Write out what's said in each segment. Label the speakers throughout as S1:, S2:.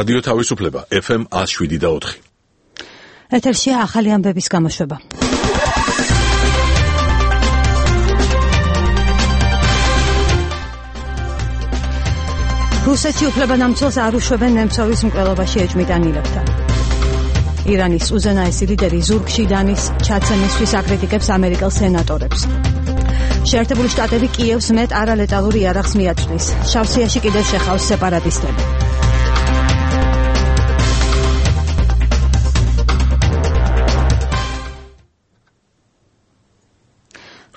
S1: რადიო თავისუფლება FM 107.4.
S2: ეთერშია ახალი ამბების გამოშვება. რუსეთში უფლებადამცველს არ უშვებენ ნემცოვის მკვლელობაში ეჭვმიტანილებთან. ირანის უზენაესი ლიდერი ზურგში დანის ჩაცემისთვის აკრიტიკებს ამერიკელ სენატორებს. შეერთებული შტატები კიევს მეტ არალეტალურ იარაღს მიაწვდის. შავსიაში კიდევ შეხავს სეპარატისტები.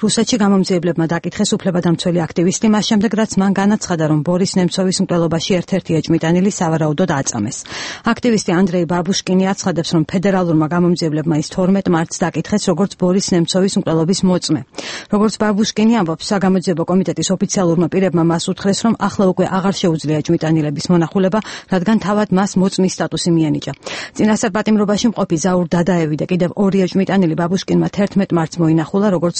S2: რუსეთში გამომძიებლებმა დაკითხეს უფლებადამცველი აქტივისტი მას შემდეგ, რაც მან განაცხადა, რომ ბორის ნემცოვის მკვლელობაში ერთ-ერთი ეჭვმიტანილი სავარაუდოდ აწამეს. აქტივისტი ანდრეი ბაბუშკინი აცხადებს, რომ ფედერალურმა გამომძიებლებმა ის 12 მარტს დაკითხეს, როგორც ბორის ნემცოვის მკვლელობის მოწმე. როგორც ბაბუშკინი ამბობს, საგამოძიებო კომიტეტის ოფიციალურმა პირებმა მას უთხრეს, რომ ახლა უკვე აღარ შეუძლია ეჭვმიტანილების მონახულება, რადგან თავად მას მოწმის სტატუსი მიენიჭა. წინასწარ პატიმრობაში მყოფი ზაურ დადაევი და კიდევ ორი ეჭვმიტანილი ბაბუშკინმა 11 მარტს მოინახულა, როგორც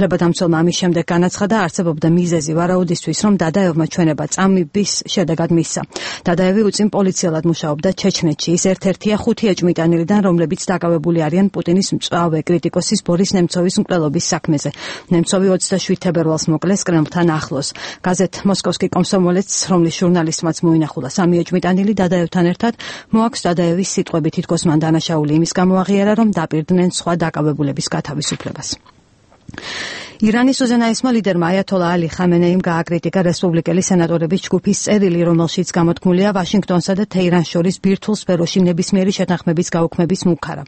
S2: უფლებადამცველმა ამის შემდეგ განაცხადა, არსებობდა მიზეზი ვარაუდისთვის, რომ დადაევმა ჩვენება წამების შედეგად მისცა. დადაევი უწინ პოლიციელად მუშაობდა ჩეჩნეთში. ის ერთ-ერთია 5 ეჭვმიტანილიდან, რომლებიც დაკავებული არიან პუტინის მწვავე კრიტიკოსის ბორის ნემცოვის მკვლელობის საქმეზე. ნემცოვი 27 თებერვალს მოკლეს კრემლთან ახლოს. გაზეთ მოსკოვსკი კომსომოლეც, რომლის ჟურნალისტმაც მოინახულა 3 ეჭვმიტანილი დადაევთან ერთად, მოაქვს დადაევის სიტყვები, თითქოს მან დანაშაული იმის გამო აღიარა, რომ დაპირდნენ სხვა დაკავებულების გათავისუფლებას. ირანის უზენაესმა ლიდერმა აიათოლა ალი ხამენეიმ გააკრიტიკა რესპუბლიკელი სენატორების ჯგუფის წერილი, რომელშიც გამოთქმულია ვაშინგტონსა და თეირანს შორის ბირთვულ სფეროში ნებისმიერი შეთანხმების გაუქმების მუქარა.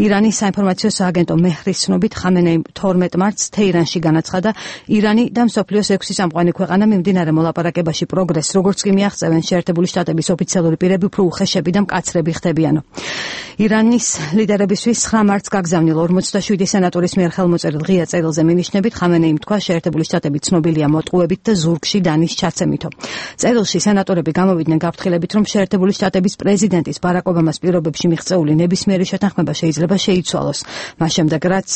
S2: ირანის საინფორმაციო სააგენტო მეჰრის ცნობით ხამენეიმ 12 მარტს თეირანში განაცხადა, ირანი და მსოფლიოს 6 წამყვანი ქვეყანა მიმდინარე მოლაპარაკებაში პროგრესს, როგორც კი მიაღწევენ შეერთებული შტატების ოფიციალური პირები, უფრო უხეშები და მკაცრები ხდებიანო. ირანის ლიდერებისთვის 9 მარტს გაგზავნილ 47 სენატორის მიერ ხელმოწერილ ღია წერილზე მინიშნებით ხამენეიმ თქვა, შეერთებული შტატები ცნობილია მოტყუებით და ზურგში დანის ჩაცემითო. წერილში სენატორები გამოვიდნენ გაფრთხილებით, რომ შეერთებული შტატების პრეზიდენტის ბარაკ ობამას პირობებში მიღწეული ნებისმიერი შეთანხმება შეიძლება შეიცვალოს. მას შემდეგ, რაც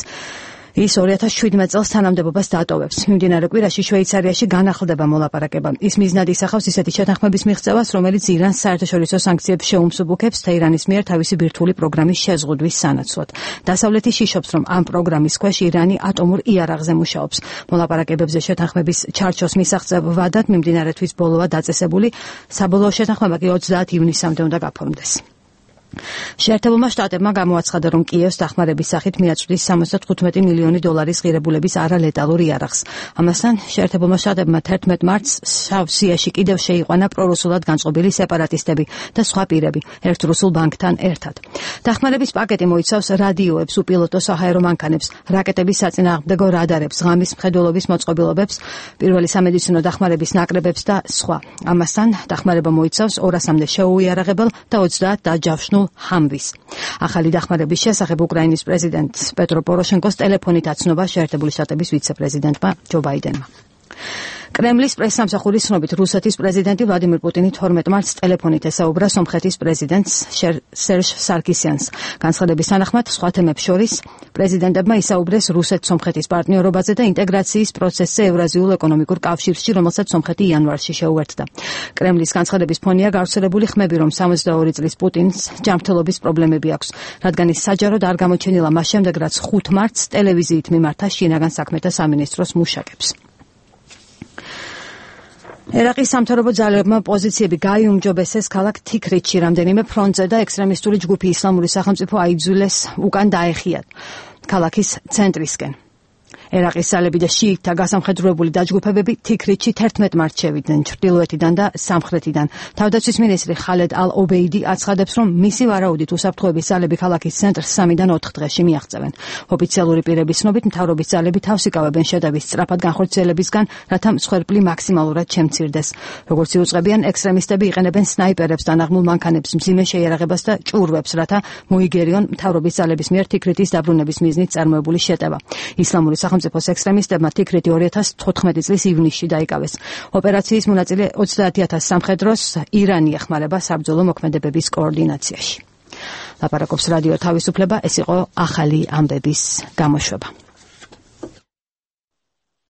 S2: ის 2017 წელს თანამდებობას დატოვებს. მიმდინარე კვირაში შვეიცარიაში განახლდება მოლაპარაკება. ის მიზნად ისახავს ისეთი შეთანხმების მიღწევას, რომელიც ირანს საერთაშორისო სანქციებს შეუმსუბუქებს თეირანის მიერ თავისი ბირთვული პროგრამის შეზღუდვის სანაცვლოდ. დასავლეთი შიშობს, რომ ამ პროგრამის ქვეშ ირანი ატომურ იარაღზე მუშაობს. მოლაპარაკებებზე შეთანხმების ჩარჩოს მისაღწევ ვადად მიმდინარე თვის ბოლოა დაწესებული. საბოლოო შეთანხმება კი 30 ივნისამდე უნდა გაფორმდეს. შეერთებულმა შტატებმა გამოაცხადა, რომ კიევს დახმარების სახით მიაწვდის 75 მილიონი დოლარის ღირებულების არალეტალურ იარაღს. ამასთან შეერთებულმა შტატებმა 11 მარტს შავსიაში კიდევ შეიყვანა პრორუსულად განწყობილი სეპარატისტები და სხვა პირები ერთ რუსულ ბანკთან ერთად. დახმარების პაკეტი მოიცავს რადიოებს, უპილოტო საჰაერო მანქანებს, რაკეტების საწინააღმდეგო რადარებს, ღამის მხედველობის მოწყობილობებს, პირველი სამედიცინო დახმარების ნაკრებებს და სხვა. ამასთან დახმარება მოიცავს 200-მდე შეუიარაღებელ და 30 დაჯავშნულ ჰამვის. ახალი დახმარების შესახებ უკრაინის პრეზიდენტ პეტრო პოროშენკოს ტელეფონით აცნობა შეერთებული შტატების ვიცე-პრეზიდენტმა ჯო ბაიდენმა. კრემლის პრესსამსახურის ცნობით რუსეთის პრეზიდენტი ვლადიმირ პუტინი 12 მარტს ტელეფონით ესაუბრა სომხეთის პრეზიდენტს სერჟ სარკისიანს. განცხადების თანახმად, სხვა თემებს შორის პრეზიდენტებმა ისაუბრეს რუსეთ-სომხეთის პარტნიორობაზე და ინტეგრაციის პროცესზე ევრაზიულ ეკონომიკურ კავშირში, რომელსაც სომხეთი იანვარში შეუერთდა. კრემლის განცხადების ფონია გავრცელებული ხმები, რომ 62 წლის პუტინს ჯანმრთელობის პრობლემები აქვს, რადგან ის საჯაროდ არ გამოჩენილა მას შემდეგ, რაც 5 მარტს ტელევიზიით მიმართა შინაგან საქმეთა სამინისტროს მუშაკებს. ერაყის სამთავრობო ძალებმა პოზიციები გაიუმჯობესეს ქალაქ თიქრიტში რამდენიმე ფრონტზე და ექსტრემისტული ჯგუფი ისლამური სახელმწიფო აიძულეს უკან დაეხიათ ქალაქის ცენტრისკენ. ერაყის ძალები და შიიტთა გასამხედროებული დაჯგუფებები თიქრიტში 11 მარტს შევიდნენ ჩრდილოეთიდან და სამხრეთიდან. თავდაცვის მინისტრი ხალედ ალ-ობეიდი აცხადებს, რომ მისი ვარაუდით უსაფრთხოების ძალები ქალაქის ცენტრს 3-დან 4 დღეში მიაღწევენ. ოფიციალური პირების ცნობით, მთავრობის ძალები თავს იკავებენ შეტევის სწრაფად განხორციელებისგან, რათა მსხვერპლი მაქსიმალურად შემცირდეს. როგორც იუწყებიან, ექსტრემისტები იყენებენ სნაიპერებს, დანაღმულ მანქანებს, მძიმე შეიარაღებას და ჭურვებს, რათა მოიგერიონ მთავრობის ძალების მიერ თიქრიტის დაბრუნების მიზნით წარმოებული შეტევა. ისლამური სახელმწიფოს ექსტრემისტებმა თიქრიტი 2014 წლის ივნისში დაიკავეს. ოპერაციის მონაწილე 30,000 სამხედროს ირანი ეხმარება საბრძოლო მოქმედებების კოორდინაციაში. ლაპარაკობს რადიო თავისუფლება, ეს იყო ახალი ამბების გამოშვება.